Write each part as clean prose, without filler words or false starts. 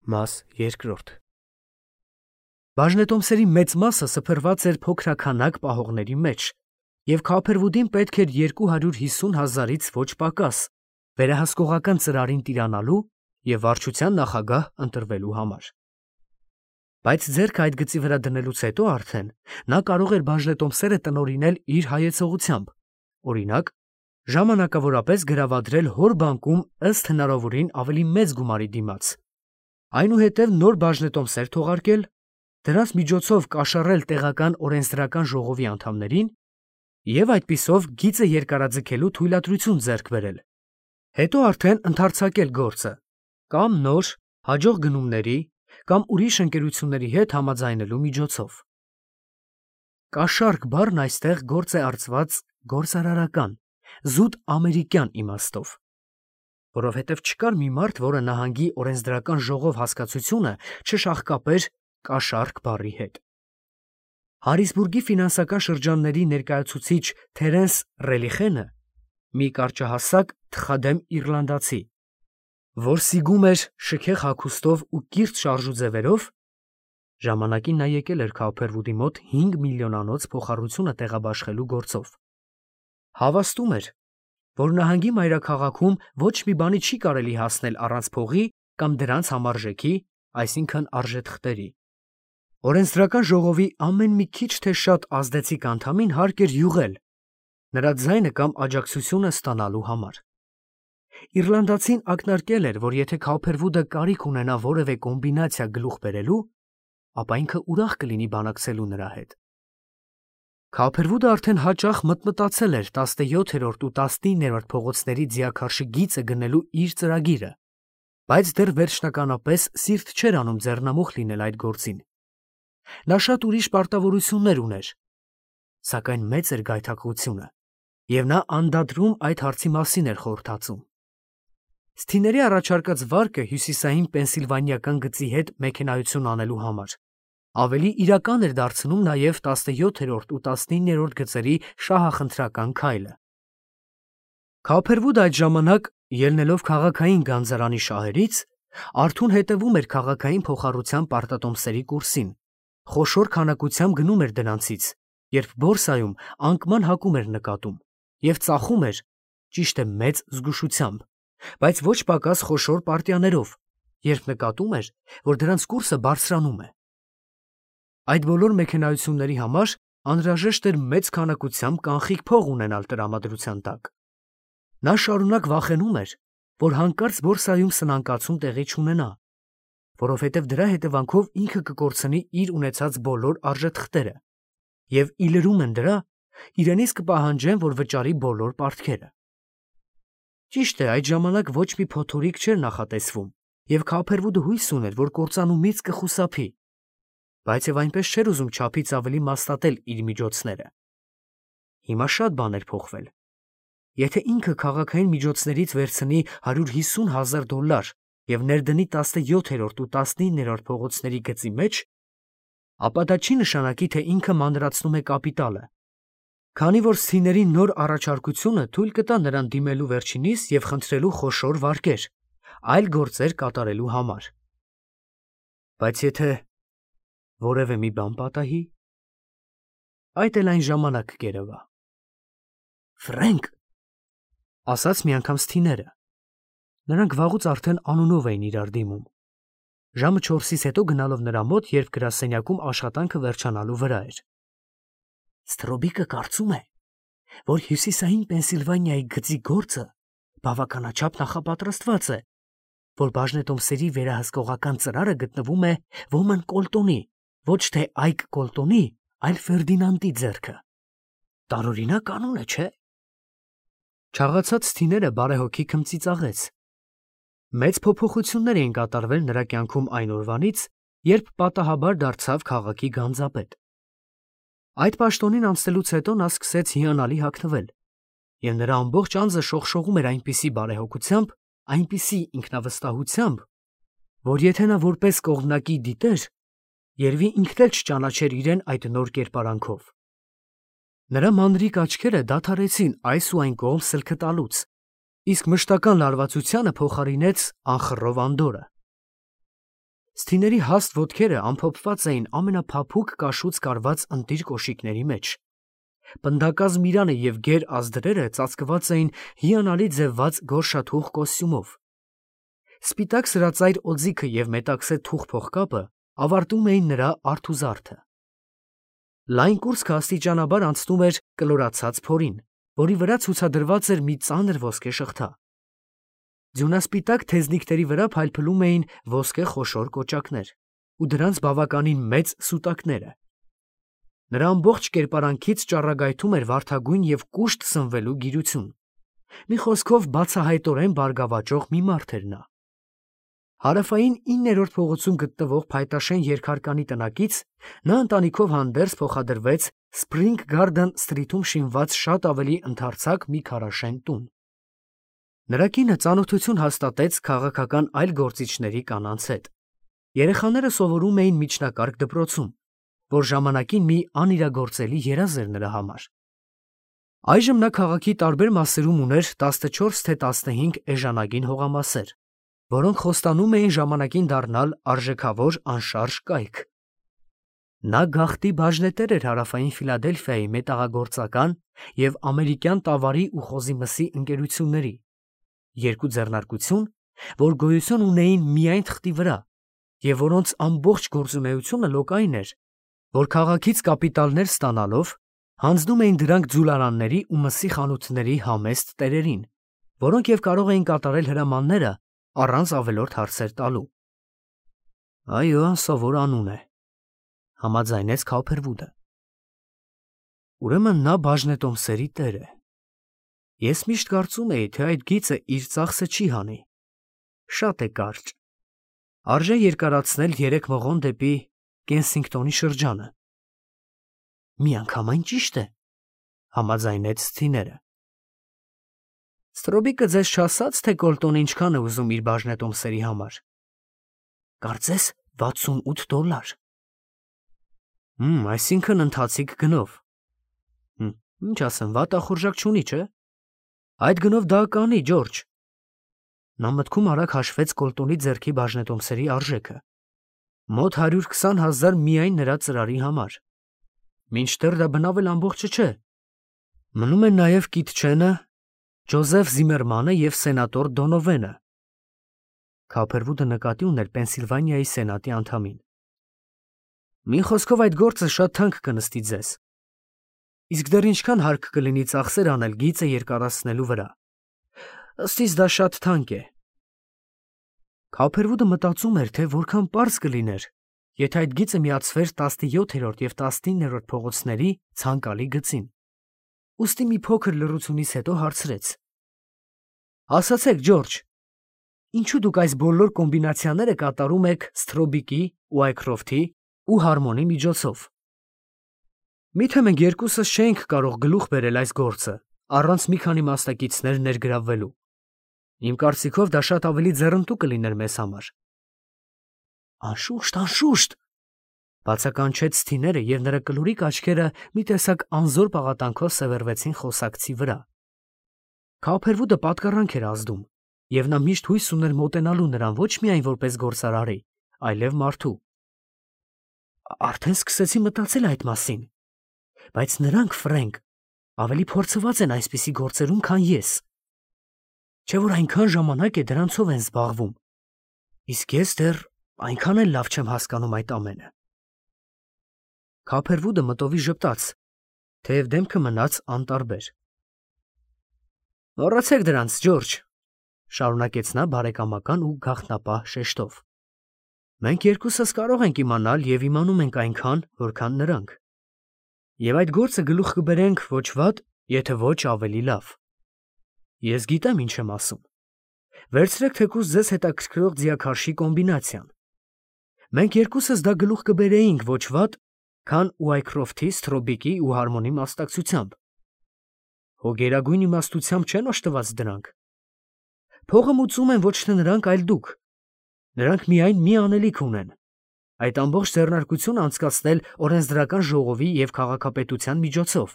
Մաս երկրորդ Բաժնետոմսերի մեծ մասը սփռված էր փոքրաքանակ պահողների մեջ, և Քափերվուդին պետք էր 250,000-ից ոչ պակաս վերահսկողական ծրարին տիրանալու և վարչության նախագահ ընտրվելու համար։ Բայց ձեռքը այդ գծի վրա դնելուց հետո արդեն նա կարող էր բաժնետոմսերը տնօրինել իր հայեցողությամբ, օրինակ, ժամանակավորապես գրավադրել հոր բանկում ըստ հնարավորին ավելի մեծ գումարի դիմաց, այնուհետև նոր բաժնետոմսեր թողարկել, դրանց միջոցով կաշառել տեղական օրենսդրական ժողովի անդամներին և այդպիսով գիծը երկարաձգելու թույլատրություն ձեռք բերել, հետո արդեն ընդարձակել գործը կամ նոր, հաջող գնումների կամ ուրիշ ընկերությունների հետ համաձայնելու միջոցով։ Կաշառք բառն այստեղ գործ է արծված գործարարական, զուտ ամերիկյան իմաստով, որովհետև չկար մի մարդ, որը նահանգի օրենսդրական ժողով հասկացությունը չշաղկապեր կաշառք բառի հետ։ Հարիսբուրգի ֆինանսական շրջանների ներկայացուցիչ Թերենս Ռելիխենը մի կարճահասակ թխադեմ իռլանդացի, որ սիգում էր շքեղ հագուստով ու կիրթ շարժուձևերով, ժամանակին նա եկել էր Քափերվուդի մոտ 5 միլիոնանոց փոխառությունը տեղաբաշխելու գործով, հավաստում էր, որ նահանգի մայրաքաղաքում ոչ մի բանի չի կարելի հասնել առանց փողի կամ դրանց համարժեքի, այսինքն արժեթղթերի։ Օրենսդրական ժողովի ամեն մի քիչ թե շատ ազդեցիկ անդամին հարկ էր յուղել նրա ձայնը կամ աջակցությունը ստանալու համար։ Իռլանդացին ակնարկել էր, որ եթե Քափերվուդը կարիք ունենա որևէ կոմբինացիա գլուխ բերելու, ապա ինքը ուրախ կլինի բանակցելու նրա հետ։ Քափերվուդը արդեն հաճախ մտմտացել էր 17-րդ ու 19-րդ փողոցների ձիաքարշի գիծը գնելու իր ծրագիրը, բայց դեռ վերջնականապես սիրտ չէր անում ձեռնամուխ լինել այդ գործին։ Նա շատ ուրիշ պարտավորություններ ուներ, սակայն մեծ էր գայթակղությունը, և նա անդադրում այդ հարցի մասին էր խորհրդածում։ Սթիների առաջարկած վարկը հյուսիսային պենսիլվանիական գծի հետ մեքենայություն անելու համար ավելի իրական էր դարձնում նաև 17-րդ ու 19-րդ գծերի շահախնդրական քայլը։ Քափերվուդը այդ ժամանակ, ելնելով քաղաքային գանձարանի շահերից, արթուն հետևում էր քաղաքային փոխառության պարտատոմսերի կուրսին, խոշոր քանակությամբ գնում էր դրանցից, երբ բորսայում անկման հակում էր նկատում, և ծախում էր, ճիշտ է, մեծ զգուշությամբ, բայց ոչ պակաս խոշոր պարտիաներով, երբ նկատում էր, որ դրանց կուրսը բարձրանում է։ Այդ բոլոր մեքենայությունների համար անհրաժեշտ էր մեծ քանակությամբ կանխիկ փող ունենալ տրամադրության տակ։ Նա շարունակ վախենում էր, որ հանկարծ բորսայում սնանկացում տեղի չունենա, որովհետև դրա հետևանքով ինքը կկորցնի իր ունեցած բոլոր արժեթղթերը, և ի լրում են դրա, իրենից կպահանջեն, որ վճարի բոլոր պարտքերը։ Ճիշտ է, այդ ժամանակ ոչ մի փոթորիկ չէր նախատեսվում, և Քափերվուդը հույս ուներ, որ կործանումից կխուսափի, բայց և այնպես չէր ուզում չափից ավելի մասնատել իր միջոցները։ Հիմա շատ բան էր փոխվել։ Եթե ինքը քաղաքային միջոցներից վերցնի $150,000 և ներդնի 17-րդ ու 19-րդ փողոցների գծի մեջ, ապա դա չի նշանակի, թե ինքը մանրացնում է կապիտալը, քանի որ Սթիների նոր առաջարկությունը թույլ կտա նրան դիմելու վերջինիս և խնդրելու խոշոր վարկեր, այլ գործեր կատարելու համար։ Բայց եթե որևէ մի բան պատահի, այդ էլ այն ժամանակ կերևա։ «Ֆրենկ», ասաց մի անգամ Սթիները։ Նրանք վաղուց արդեն անունով էին իրար դիմում, ժամը 4-ից հետո գնալով նրա մոտ, երբ գրասենյակում աշխատանքը վերջանալու վրա էր։ «Սթրոբիկը կարծում է, որ հյուսիսային Պենսիլվանիայի գծի գործը բավականաչափ նախապատրաստված է, որ բաժնետոմսերի վերահսկողական ծրարը գտնվում է Ոման Կոլտոնի, ոչ թե Այք Կոլտոնի, այլ Ֆերդինանդի ձեռքը։ Տարօրինակ կանոն է, չէ՞»։ Չաղացած Սթիները բարեհոգի քմծիծաղեց։ Մեծ փոփոխություններ էին կատարվել նրա կյանքում այն օրվանից, երբ պատահաբար դարձավ քաղաքի գանձապետ։ Այդ պաշտոնին անցնելուց հետո նա սկսեց հիանալի հագնվել, և նրա ամբողջ անձը շողշողում էր այնպիսի բարեհոգությամբ, այնպիսի ինքնավստահությամբ, որ եթե նա որպես կողմնակի դիտեր, երևի ինքն էլ չճանաչեր իրեն այդ նոր կերպարանքով։ Նրա մանրիկ աչքերը դադարեցին այս ու այն կողմ սլքը տալուց, իսկ մշտական լարվածությանը փոխարինեց անխռով անդորրը։ Սթիների հաստ ոտքերը ամփոփված էին ամենափափուկ կաշուց կարված ընտիր կոշիկների մեջ։ Պնդակազմ իրանը և գեր ազդրերը ծածկված էին հիանալի ձևված գորշաթուխ կոստյումով։ Սպիտակ սրածայր օձիքը և մետաքսե թուխ փողկապը ավարտում էին նրա արթուզարդը։ Լայն կուրծքը աստիճանաբար անցնում էր կլորացած փորին, որի վրա ցուցադրված էր մի ծանր ոսկե շղթա։ Ձյունասպիտակ թեզնիկների վրա փայլփլում էին ոսկե խոշոր կոճակներ ու դրանց բավականին մեծ սուտակները։ Նրա ամբողջ կերպարանքից ճառագայթում էր վարդագույն և կուշտ սնվելու գիրություն։ Մի խոսքով բացահայտորեն բարգավաճող մի մարդ էր նա։ Հարավային 9-րդ փողոցում գտնվող փայտաշեն երկհարկանի տնակից նա ընտանիքով հանդերձ փոխադրվեց Spring Garden Street-ում շինված շատ ավելի ընդարձակ մի քարաշեն տուն։ Նրա կինը ծանոթություն հաստատեց քաղաքական այլ գործիչների կանանց հետ։ Երեխաները սովորում էին միջնակարգ դպրոցում, որ ժամանակին մի անիրագործելի երազ էր նրա համար։ Այժմ նա քաղաքի տարբեր մասերում ուներ 14 թե 15 էժանագին հողամասեր, որոնք խոստանում էին ժամանակին դառնալ արժեքավոր անշարժ կայք։ Նա գաղտնի բաժնետեր էր Հարավային Ֆիլադելֆիայի մետաղագործական և ամերիկյան տավարի ու խոզի մսի ընկերությունների, երկու ձեռնարկություն, որ գոյություն ունեին միայն թղթի վրա, և որոնց ամբողջ գործունեությունը լոկ այն էր, որ քաղաքից կապիտալներ ստանալով հանձնում էին դրանք ձուլարանների ու մսի խանութների համեստ տերերին, որոնք և կարող էին կատարել հրամանները առանց ավելորդ հարցեր տալու։ Այո, սովոր անուն է, համաձայնեց Քոփերվուդը։ Ուրեմն նա բաժնետոմսերի տեր է։ Ես միշտ կարծում էի, թե այդ գիծը իր ծախսը չի հանի։ Շատ է կարճ։ Արժե երկարացնել 3 մղոն դեպի Կենսինգտոնի շրջանը։ Միանգամայն ճիշտ է, համաձայնեց Սթիները։ Ստրոբիկը ձեզ չասաց, թե Կոլտոնը ինչքան է ուզում իր բաժնետոմսերի համար։ Կարծես $68։ Այսինքն ընթացիկ գնով։ Ինչ ասեմ, վատախորժակ չունի, չէ։ Այդ գնով դա կանի, Ջորջ։ Նա մտքում արագ հաշվեց Կոլտոնի ձեռքի բաժնետոմսերի արժեքը։ Մոտ 120,000 միայն նրա ծրարի համար։ Մինչդեռ դա բնավել ամբողջը չէ։ Մնում են նաև Կիթ Չենը, Ջոզեֆ Զիմերմանը և սենատոր Դոնովենը։ Քոփերվուդը նկատի ուներ Պենսիլվանիայի սենատի անդամին։ Մի խոսքով այդ գործը շատ թանկ կնստի ձեզ։ Իսկ դեռ ինչքան հարկ կլինի ծախսեր անել գիծը երկարացնելու վրա։ Ըստ իս դա շատ թանկ է։ Քոփերվուդը մտածում էր, թե որքան պարզ կլիներ, եթե այդ գիծը միացվեր 17-րդ և 19-րդ փողոցների ցանկալի գծին։ Ուստի մի փոքր լռությունից հետո հարցրեց. Ասացեք, Ջորջ, ինչու դուք այս բոլոր կոմբինացիաները կատարում եք Սթրոբիկի, Ուայքրոֆթի ու Հարմոնի միջոցով։ Միթե մենք երկուսս չէինք կարող գլուխ բերել այս գործը, առանց մի քանի մասնակիցներ ներգրավվելու։ Իմ կարծիքով դա շատ ավելի ձեռնտու կլիներ մեզ համար։ Անշուշտ, անշուշտ, բացականչեց Սթիները, և նրա կլորիկ աչքերը մի տեսակ անզոր պաղատանքով սևեռվեցին խոսակցի վրա։ Քոփերվուդը պատկառանք էր ազդում, և նա միշտ հույս ուներ մոտենալու նրան ոչ միայն որպես գործարարի, այլև մարդու։ Արդեն սկսեցի մտածել այդ մասին, բայց նրանք, Ֆրենկ, ավելի փորձված են այսպիսի գործերում, քան ես։ Չէ՞ որ այնքան ժամանակ է դրանցով են զբաղվում, իսկ ես դեռ այնքան էլ լավ չեմ հասկանում այդ ամենը։ Քոփերվուդը մտովի ժպտաց, թեև դեմքը մնաց անտարբեր։ Մոռացեք դրանց, Ջորջ, շարունակեց նա բարեկամական ու գաղտնապահ շեշտով։ Մենք երկուսս կարող ենք իմանալ և իմանում ենք այնքան, որքան նրանք։ Եվ այդ գործը գլուխ կբերենք ոչ վատ, եթե ոչ ավելի լավ։ Ես գիտեմ ինչ եմ ասում։ Վերցրեք թեկուզ ձեզ հետաքրքրող ձիաքարշի կոմբինացիան։ Մենք երկուսս դա գլուխ կբերեինք ոչ վատ, քան Ուայքրոֆթի, Սթրոբիկի ու Հարմոնի մասնակցությամբ։ Հո գերագույն իմաստությամբ չեն օժտված դրանք։ Փողը մուծում են ոչ թե նրանք, այլ դուք։ Նրանք միայն մի անելիք ունեն՝ այդ ամբողջ ձեռնարկությունը անցկացնել օրենսդրական ժողովի և քաղաքապետության միջոցով։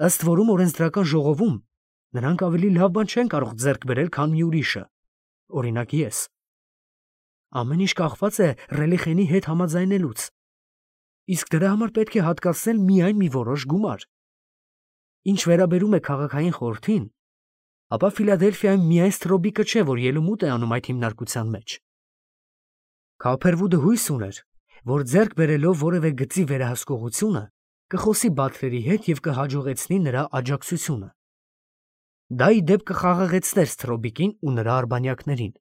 Ըստ որում օրենսդրական ժողովում նրանք ավելի լավ բան չեն կարող ձեռք բերել, քան մի ուրիշը, օրինակ ես։ Ամեն ինչ կախված է Ռելիխենի հետ համաձայնելուց։ Իսկ դրա համար պետք է հատկացնել միայն մի որոշ գումար։ Ինչ վերաբերում է քաղաքային խորհրդին, ապա Ֆիլադելֆիայում միայն Ստրոբիկը չէ, որ ելումուտ է անում այդ հիմնարկության մեջ։ Քոփերվուդը հույս ուներ, որ ձեռք բերելով որևէ գծի վերահսկողությունը կխոսի Բաթլերի հետ և կհաջողեցնի նրա աջակցությունը։ Դա ի դեպ կխաղաղեցներ Ստրոբիկին ու նրա արբանյակներին։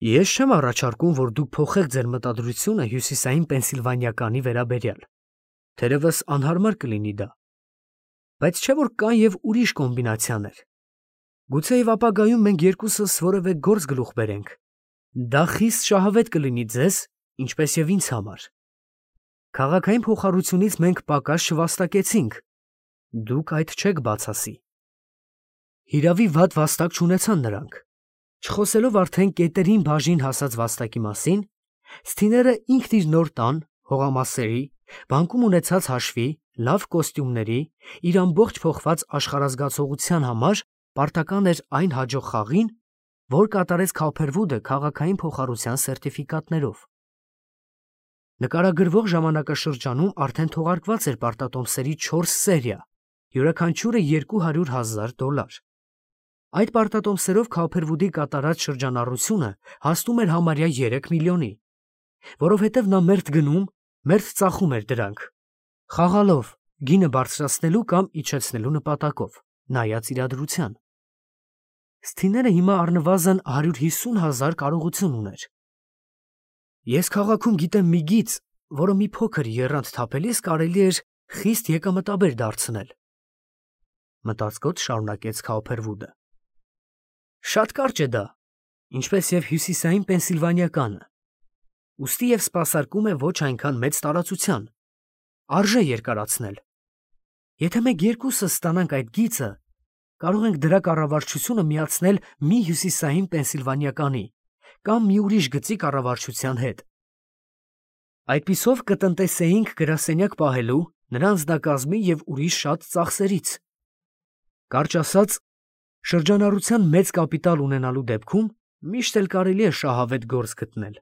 Ես չեմ առաջարկում, որ դուք փոխեք ձեր մտադրությունը հյուսիսային Պենսիլվանիականի վերաբերյալ, թերևս անհարմար կլինի դա, բայց չէ որ կան և ուրիշ կոմբինացիաներ։ Գուցեև ապագայում մենք երկուսս որևէ գործ գլուխ բերենք։ Դա խիստ շահավետ կլինի ձեզ, ինչպես և ինձ համար։ Քաղաքային փոխառությունից մենք պակաս չվաստակեցինք, դուք այդ չեք բացասի։ Հիրավի վատ վաստակ չունեցան նրանք։ Չխոսելով արդեն կետերին բաժին հասած վաստակի մասին, Սթիները ինքն իր նոր տան, հողամասերի, բանկում ունեցած հաշվի, լավ կոստյումների, իր ամբողջ փոխված աշխարհազգացողության համար պարտական էր այն հաջող խաղին, որ կատարեց Քոփերվուդը քաղաքային փոխառության սերտիֆիկատներով։ Նկարագրվող ժամանակաշրջանում արդեն թողարկված էր պարտատոմսերի 4 սերիա, յուրաքանչյուրը $200,000։ Այդ պարտատոմսերով Քոփերվուդի կատարած շրջանառությունը հասնում էր համարյա 3 միլիոնի, որովհետև նա մերթ գնում, մերթ ծախում էր դրանք, խաղալով, գինը բարձրացնելու կամ իջեցնելու նպատակով, նայած իրադրության։ Սթիները հիմա առնվազն 150,000 կարողություն ուներ։ Ես քաղաքում գիտեմ մի գիծ, որը մի փոքր եռանդ թափելիս կարելի էր խիստ եկամտաբեր դարձնել, մտածկոտ շարունակեց Քոփերվուդը։ Շատ կարճ է դա, ինչպես և հյուսիսային Պենսիլվանիականը, ուստի և սպասարկում է ոչ այնքան մեծ տարածության, արժե երկարացնել։ Եթե մենք երկուսս ստանանք այդ գիծը, կարող ենք դրա կառավարչությունը միացնել մի հյուսիսային Պենսիլվանիականի կամ մի ուրիշ գծի կառավարչության հետ։ Այդպիսով կտնտեսեինք գրասենյակ պահելու, նրա անձնակազմի և ուրիշ շատ ծախսերից։ Կարճ ասած, շրջանառության մեծ կապիտալ ունենալու դեպքում միշտ էլ կարելի է շահավետ գործ գտնել։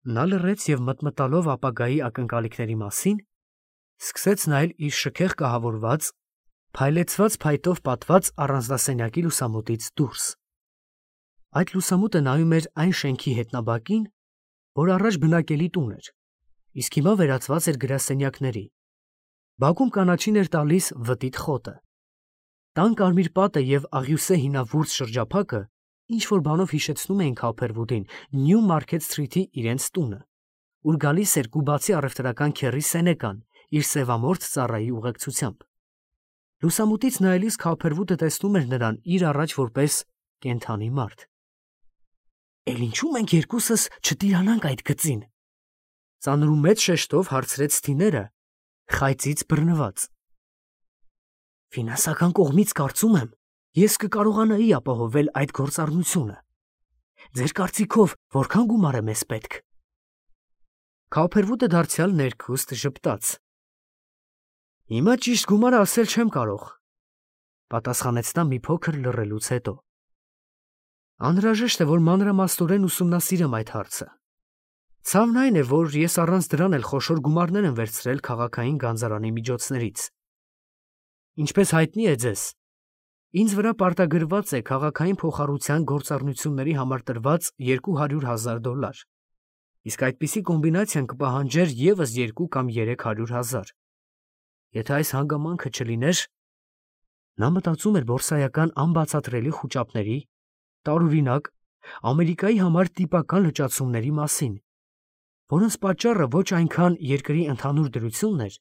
Նա լռեց և մտմտալով ապագայի ակնկալիքների մասին, սկսեց նայել իր շքեղ կահավորված, փայլեցված փայտով պատված առանձնասենյակի լուսամուտից դուրս։ Այդ լուսամուտը նայում էր այն շենքի հետնաբակին, որ առաջ բնակելի տուն էր, իսկ հիմա վերածված էր գրասենյակների։ Բակում կանաչին էր տալիս վտիտ խոտը։ Տան կարմիր պատը և աղյուսե հինավուրց շրջափակը ինչ-որ բանով հիշեցնում էին Քոփերվուդին Նյու Մարքեթ Սթրիթի իրենց տունը, ուր գալիս էր կուբացի առևտրական քեռի Սենեկան իր սևամորթ ծառայի ուղեկցությամբ։ Լուսամուտից նայելիս Քոփերվուդը տեսնում էր նրան իր առաջ որպես կենդանի մարդ։ «Էլ ինչու մենք երկուսս չտիրանանք այդ գծին», ծանր ու մեծ շեշտով հարցրեց Սթիները, խայծից բռնված։ «Ֆինանսական կողմից կարծում եմ, ես կկարողանայի ապահովել այդ գործառնությունը։ Ձեր կարծիքով որքան գումար է մեզ պետք»։ Քոփերվուդը դարձյալ ներքուստ ժպտաց։ «Հիմա ճիշտ գումարը ասել չեմ կարող», պատասխանեց նա մի փոքր լռելուց հետո։ «Անհրաժեշտ է, որ մանրամասնորեն ուսումնասիրեմ այդ հարցը։ Ցավն այն է, որ ես առանց դրան էլ խոշոր գումարներ եմ վերցրել քաղաքային գանձարանի միջոցներից։ Ինչպես հայտնի է ձեզ, ինձ վրա պարտագրված է քաղաքային փոխառության գործառնությունների համար տրված $200,000, իսկ այդպիսի կոմբինացիան կպահանջեր ևս 2 կամ 300,000։ Եթե այս հանգամանքը չլիներ…» Նա մտածում էր բորսայական անբացատրելի խուճապների, տարօրինակ, Ամերիկայի համար տիպական լճացումների մասին, որոնց պատճառը ոչ այնքան երկրի ընդհանուր դրությունն էր,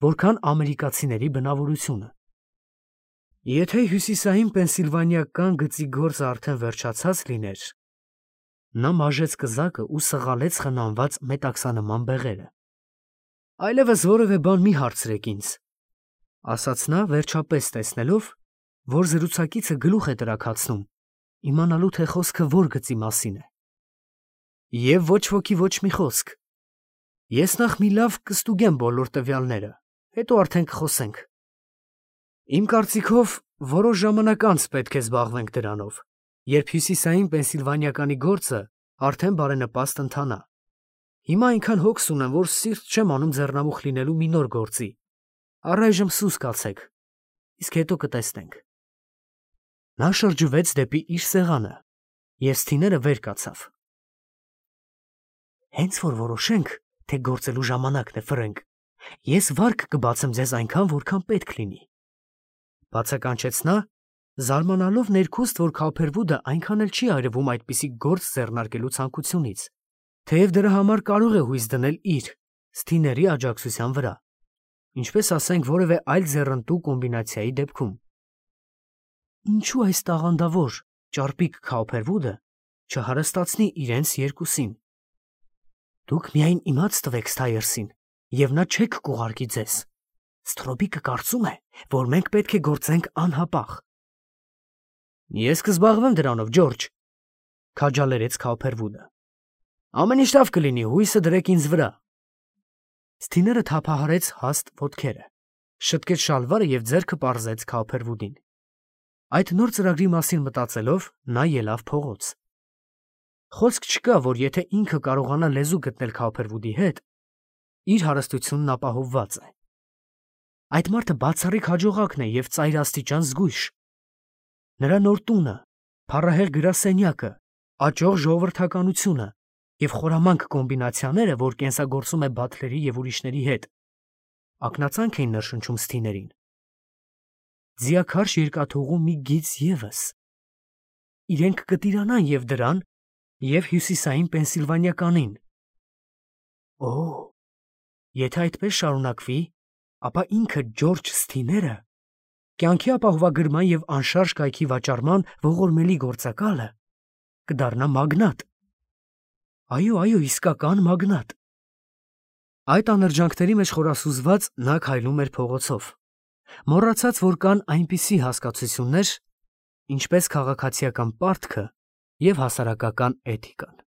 որքան ամերիկացիների բնավորությունը։ Եթե հյուսիսային Պենսիլվանիական գծի գործը արդեն վերջացած լիներ… Նա մաժեց կզակը ու սղալեց խնամված մետաքսանման բեղերը։ «Այլևս որևէ բան մի հարցրեք ինձ», ասաց նա, վերջապես տեսնելով, որ զրուցակիցը գլուխ է տրաքացնում, իմանալու թե խոսքը որ գծի մասին է։ «Եվ ոչ ոքի ոչ մի խոսք։ Ես նախ մի լավ կստուգեմ բոլոր տվյալները, հետո արդեն կխոսենք։ Իմ կարծիքով, որոշ ժամանակ անց պետք է զբաղվենք դրանով»։ երբ հյուսիսային Պենսիլվանիականի գործը արդեն բարենպաստ ընթանա։ Հիմա այնքան հոգս ունեմ, որ սիրտ չեմ անում ձեռնամուխ լինելու մի նոր գործի։ Առայժմ սուս կացեք, իսկ հետո կտեսնենք։ Նա շրջվեց դեպի իր սեղանը, և Սթիները վեր կացավ։ Հենց որ որոշենք, թե գործելու ժամանակն է, Ֆրենկ, ես վարկ կբացեմ ձեզ այնքան, որքան պետք լինի, բացականչեց նա, զարմանալով ներքուստ, որ Քոփերվուդը այնքան էլ չի այրվում այդպիսի գործ ձեռնարկելու ցանկությունից, թեև դրա համար կարող է հույս դնել իր, Սթիների աջակցության վրա, ինչպես ասենք որևէ այլ ձեռնտու կոմբինացիայի դեպքում։ Ինչու այս տաղանդավոր, ճարպիկ Քոփերվուդը չհարստացնի իրենց երկուսին։ Դուք միայն իմաց տվեք Սթայերսին, և նա չեք կուղարկի ձեզ։ Սթրոբիկը կարծում է, որ մենք պետք է գործենք անհապաղ։ Ես կզբաղվեմ դրանով, Ջորջ, քաջալերեց Քոփերվուդը։ Ամեն ինչ լավ կլինի, հույսը դրեք ինձ վրա։ Սթիները թափահարեց հաստ ոտքերը, շտկեց շալվարը և ձեռքը պարզեց Քոփերվուդին։ Այդ նոր ծրագրի մասին մտածելով, նա ելավ փողոց։ Խոսք չկա, որ եթե ինքը կարողանա լեզու գտնել Քոփերվուդի հետ, իր հարստությունն ապահովված է։ Այդ մարդը բացառիկ հաջողակն է և ծայրաստիճան զգույշ։ Նրա նոր տունը, փառահեղ գրասենյակը, աճող ժողովրդականությունը և խորամանկ կոմբինացիաները, որ կենսագործում է Բաթլերի և ուրիշների հետ, ակնածանք էին ներշնչում Սթիներին։ Ձիաքարշ երկաթուղու մի գիծ ևս։ Իրենք կտիրանան և դրան, և հյուսիսային Պենսիլվանիականին։ Օ, եթե այդպես շարունակվի, ապա ինքը Ջորջ Սթիները, կյանքի ապահովագրման և անշարժ կայքի վաճառման ողորմելի գործակալը, կդառնա մագնատ։ Այո, իսկական մագնատ։ Այդ անրջանքների մեջ խորասուզված նա քայլում էր փողոցով, մոռացած, որ կան այնպիսի հասկացություններ, ինչպես քաղաքացիական պարտքը և հասարակական էթիկան։